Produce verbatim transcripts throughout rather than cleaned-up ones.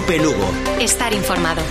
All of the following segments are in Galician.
Cope Lugo. Estar informado.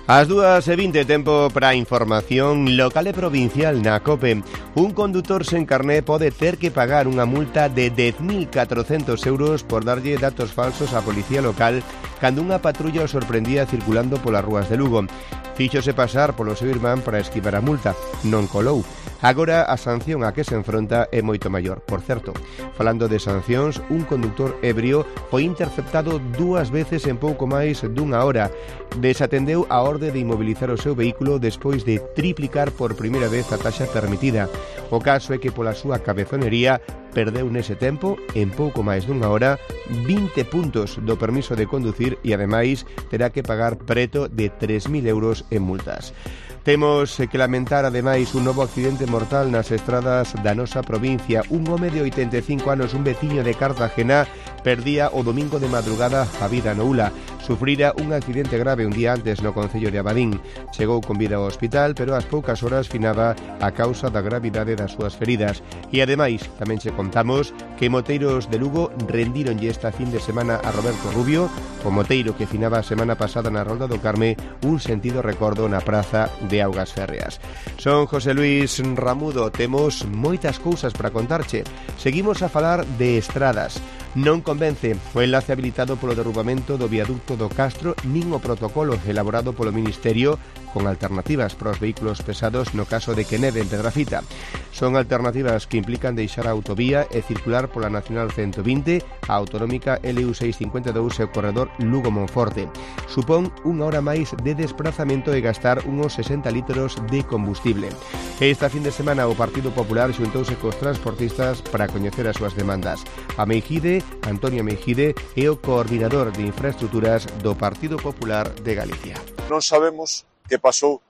As dúas e vinte, tempo para información local e provincial na COPE. Un condutor sen carné pode ter que pagar unha multa de dez mil catrocentos euros por darlle datos falsos á policía local cando unha patrulla o sorprendía circulando polas rúas de Lugo. Fíxose pasar polo seu irmán para esquivar a multa. Non colou. Agora a sanción a que se enfronta é moito maior. Por certo, falando de sancións, un conductor ebrio foi interceptado dúas veces en pouco máis dunha hora. Desatendeu a orde de inmobilizar o seu vehículo despois de triplicar por primeira vez a taxa permitida. O caso é que pola súa cabezonería perdeu nese tempo, en pouco máis dunha hora, vinte puntos do permiso de conducir e ademais terá que pagar preto de tres mil euros en multas. Temos que lamentar ademais un novo accidente mortal nas estradas da nosa provincia. Un home de oitenta e cinco anos, un veciño de Cartagena, perdía o domingo de madrugada a vida no Ula. Sufrira un accidente grave un día antes no concello de Abadín. Chegou con vida ao hospital, pero ás poucas horas finaba a causa da gravidade das súas feridas. E ademais, tamén che contamos que moteiros de Lugo rendíronlle esta fin de semana a Roberto Rubio, o moteiro que finaba a semana pasada na Rolda do Carme, un sentido recordo na praza de Augas Férreas. Son José Luis Ramudo, temos moitas cousas para contarche. Seguimos a falar de estradas. Non convence o enlace habilitado polo derrubamento do viaducto do Castro nin o protocolo elaborado polo Ministerio con alternativas para os vehículos pesados no caso de que neve en Pedrafita. Son alternativas que implican deixar a autovía e circular pola Nacional ciento vinte, a autonómica L U seiscentos cincuenta e dous e o corredor Lugo-Monforte. Supón unha hora máis de desplazamento e gastar uns sesenta litros de combustible. Esta fin de semana o Partido Popular xuntouse cos transportistas para coñecer as súas demandas. A Meijide, Antonio Meijide, é o coordinador de infraestructuras do Partido Popular de Galicia. Non sabemos que pasou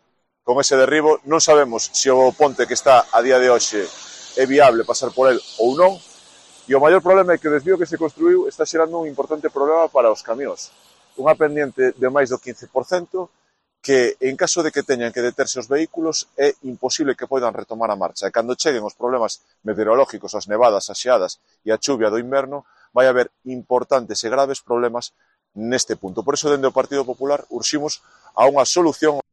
con ese derribo, non sabemos se o ponte que está a día de hoxe é viable pasar por el ou non, e o maior problema é que o desvío que se construiu está xerando un importante problema para os camións. Unha pendiente de máis do quince por cento que, en caso de que teñan que deterse os vehículos, é imposible que poidan retomar a marcha. E cando cheguen os problemas meteorológicos, as nevadas, as xeadas e a chuvia do inverno, vai haber importantes e graves problemas neste punto. Por iso, dende o Partido Popular, urximos a unha solución.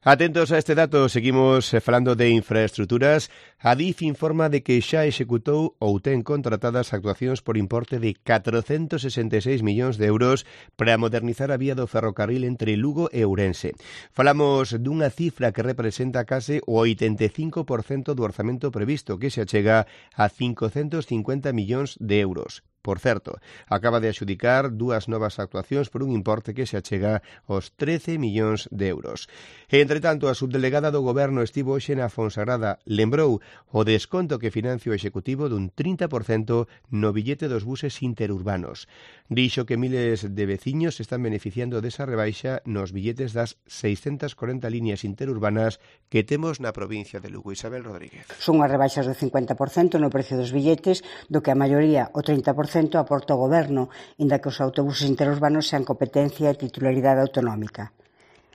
Atentos a este dato, seguimos falando de infraestructuras. A D I F informa de que xa executou ou ten contratadas actuacións por importe de catrocentos sesenta e seis millóns de euros para modernizar a vía do ferrocarril entre Lugo e Ourense. Falamos dunha cifra que representa case o oitenta e cinco por cento do orzamento previsto, que se achega a cincocentos cincuenta millóns de euros. Por certo, acaba de adxudicar dúas novas actuacións por un importe que se achega aos trece millóns de euros. E, entre tanto, a subdelegada do Goberno estivo hoxe na Fonsagrada, lembrou o desconto que financia o Executivo dun trinta por cento no billete dos buses interurbanos. Dixo que miles de veciños están beneficiando desa rebaixa nos billetes das seiscentas corenta líneas interurbanas que temos na provincia de Lugo. Isabel Rodríguez. Son as rebaixas do cincuenta por cento no precio dos billetes, do que a maioría, o trinta por cento, aporta o Goberno, inda que os autobuses interurbanos sean competencia e titularidade autonómica.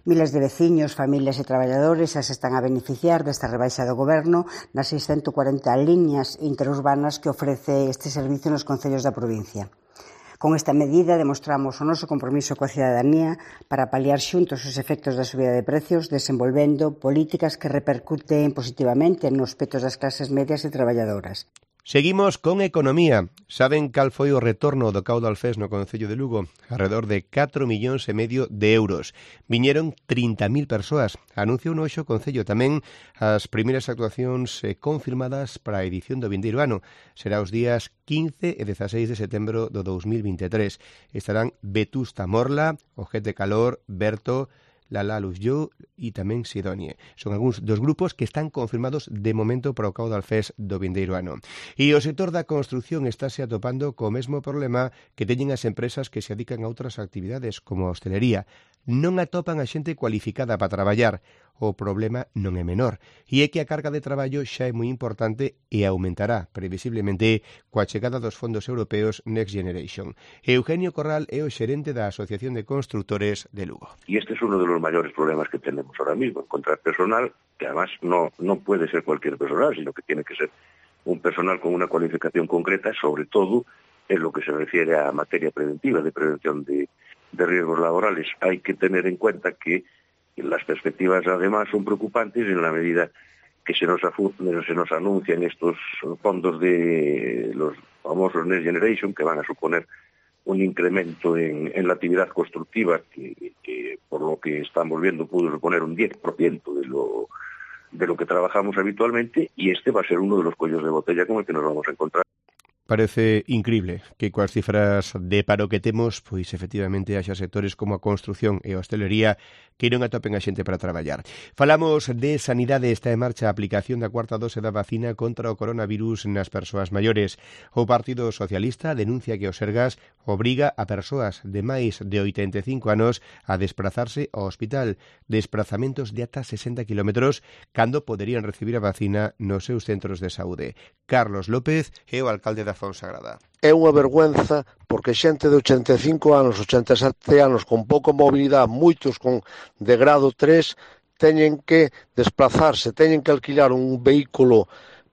Miles de veciños, familias e traballadores xa se están a beneficiar desta rebaixa do Goberno nas seiscentas corenta liñas interurbanas que ofrece este servicio nos concellos da provincia. Con esta medida demostramos o noso compromiso coa cidadanía para paliar xuntos os efectos da subida de precios, desenvolvendo políticas que repercuten positivamente nos petos das clases medias e traballadoras. Seguimos con economía. Saben cal foi o retorno do Caudal Fest no Concello de Lugo? Arredor de catro millóns e medio de euros. Viñeron trinta mil persoas. Anunciou no hoxe o Concello tamén as primeiras actuacións confirmadas para a edición do vindeiro ano. Será os días quince e dezaseis de setembro do dous mil vinte e tres. Estarán Vetusta Morla, Ojete Calor, Berto, Lala Luzyo e tamén Sidonie. Son algúns dos grupos que están confirmados de momento para o Caudal Fest do vindeiro ano. E o sector da construción estáse atopando co mesmo problema que teñen as empresas que se adican a outras actividades, como a hostelería. Non atopan a xente cualificada para traballar. O problema non é menor, e é que a carga de traballo xa é moi importante e aumentará, previsiblemente, coa chegada dos fondos europeos Next Generation. Eugenio Corral é o xerente da Asociación de Constructores de Lugo. Y este es uno de los mayores problemas que tenemos ahora mismo, encontrar personal, que además no, no puede ser cualquier personal, sino que tiene que ser un personal con una cualificación concreta, sobre todo en lo que se refiere a materia preventiva, de prevención de, de riesgos laborales. Hay que tener en cuenta que las perspectivas además son preocupantes en la medida que se nos, se nos anuncian estos fondos de los famosos Next Generation, que van a suponer un incremento en, en la actividad constructiva que, que, por lo que estamos viendo, pudo suponer un diez por ciento de lo, de lo que trabajamos habitualmente, y este va a ser uno de los cuellos de botella con el que nos vamos a encontrar. Parece increíble que coas cifras de paro que temos, pois efectivamente haxa sectores como a construción e a hostelería que non atopen a xente para traballar. Falamos de sanidade. Está en marcha a aplicación da cuarta dose da vacina contra o coronavirus nas persoas maiores. O Partido Socialista denuncia que o Sergas obriga a persoas de máis de oitenta e cinco anos a desplazarse ao hospital, desplazamentos de ata sesenta kilómetros cando poderían recibir a vacina nos seus centros de saúde. Carlos López é o alcalde da Fonsagrada. É unha vergüenza porque xente de ochenta e cinco anos, ochenta e sete anos, con pouca mobilidade, moitos con de grado tres, teñen que desplazarse, teñen que alquilar un vehículo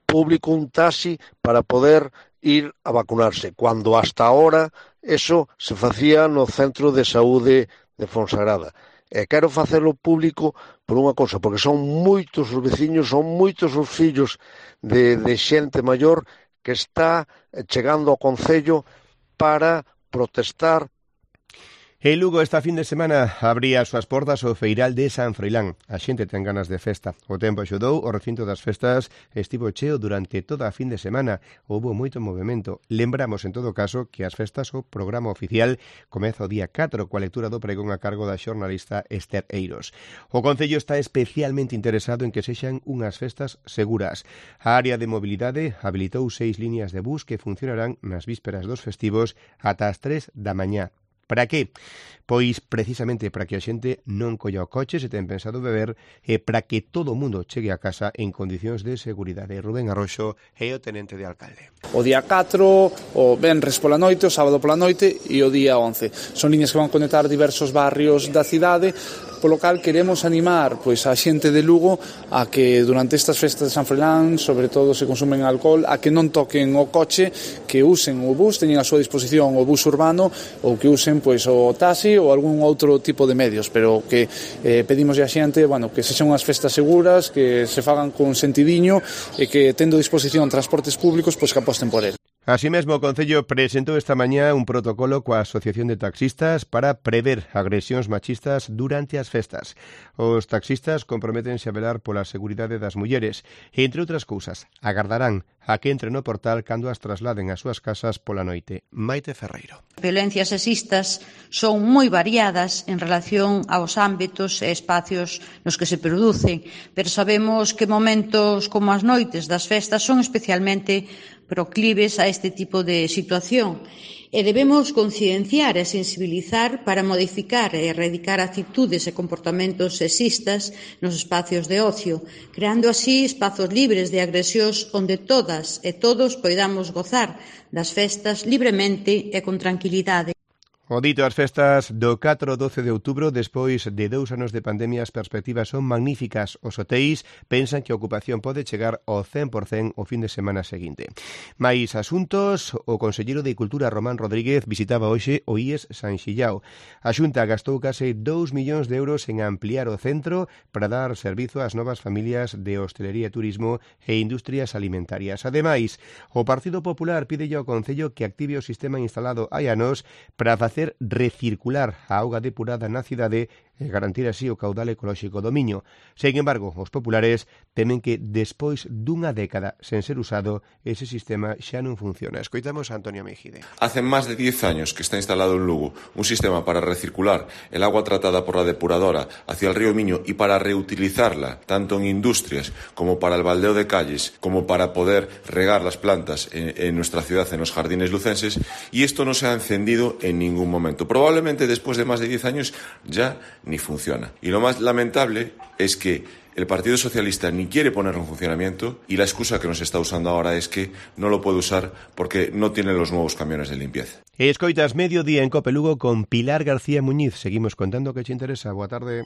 público, un taxi, para poder ir a vacunarse, cuando hasta ahora eso se facía no centro de saúde de Fonsagrada. E quero facelo público por unha cousa, porque son moitos os veciños, son moitos os fillos de, de xente maior que está chegando ao Concello para protestar. En Lugo esta fin de semana abría as súas portas o Feiral de San Froilán. A xente ten ganas de festa. O tempo axudou, o recinto das festas estivo cheo durante toda a fin de semana. Houbo moito movimento. Lembramos, en todo caso, que as festas, o programa oficial, comeza o día catro, coa lectura do pregón a cargo da xornalista Esther Eiros. O Concello está especialmente interesado en que sexan unhas festas seguras. A área de mobilidade habilitou seis líneas de bus que funcionarán nas vísperas dos festivos ata as tres da mañá. Para que? Pois precisamente para que a xente non colla o coche se ten pensado beber e para que todo o mundo chegue a casa en condicións de seguridade. Rubén Arroxo é o tenente de alcalde. O día catro, o venres pola noite, o sábado pola noite e o día once. Son liñas que van conectar diversos barrios da cidade, polo cal queremos animar pois a xente de Lugo a que durante estas festas de San Froilán, sobre todo se consumen alcohol, a que non toquen o coche, que usen o bus, teñen a súa disposición o bus urbano ou que usen pois o taxi ou algún outro tipo de medios, pero que eh, pedimos a xente, bueno, que sexan unhas festas seguras, que se fagan con sentidiño e que tendo disposición transportes públicos, pois que aposten por el. Así mesmo, o Concello presentou esta mañá un protocolo coa Asociación de Taxistas para prever agresións machistas durante as festas. Os taxistas comprométense a velar pola seguridade das mulleres e, entre outras cousas, agardarán a que entren no portal cando as trasladen ás súas casas pola noite. Maite Ferreiro. Violencias sexistas son moi variadas en relación aos ámbitos e espacios nos que se producen, pero sabemos que momentos como as noites das festas son especialmente proclives a este tipo de situación e debemos concienciar e sensibilizar para modificar e erradicar actitudes e comportamentos sexistas nos espacios de ocio, creando así espazos libres de agresións onde todas e todos poidamos gozar das festas libremente e con tranquilidade. O dito as festas do catro ao doce de outubro, despois de dous anos de pandemia, as perspectivas son magníficas. Os hotéis pensan que a ocupación pode chegar ao cen por cen o fin de semana seguinte. Mais asuntos, o conselleiro de Cultura Román Rodríguez visitaba hoxe o I E S San Xillao. A Xunta gastou case dous millóns de euros en ampliar o centro para dar servizo ás novas familias de hostelería, turismo e industrias alimentarias. Ademais, o Partido Popular pide ao Concello que active o sistema instalado hai anos para facer recircular a auga depurada na cidade e garantir así o caudal ecolóxico do Miño. Sen embargo, os populares temen que despois dunha década sen ser usado, ese sistema xa non funciona. Escoitamos a Antonio Mejide. Hace máis de diez años que está instalado en Lugo un sistema para recircular el agua tratada por la depuradora hacia el río Miño y para reutilizarla tanto en industrias como para el baldeo de calles, como para poder regar las plantas en, en nuestra ciudad, en los jardines lucenses, y esto no se ha encendido en ningún momento. Probablemente después de más de diez años ya ni funciona. Y lo más lamentable es que el Partido Socialista ni quiere ponerlo en funcionamiento y la excusa que nos está usando ahora es que no lo puede usar porque no tiene los nuevos camiones de limpieza. Escoitas Mediodía en Cope Lugo con Pilar García Muñiz. Seguimos contando que te interesa. Boa tarde.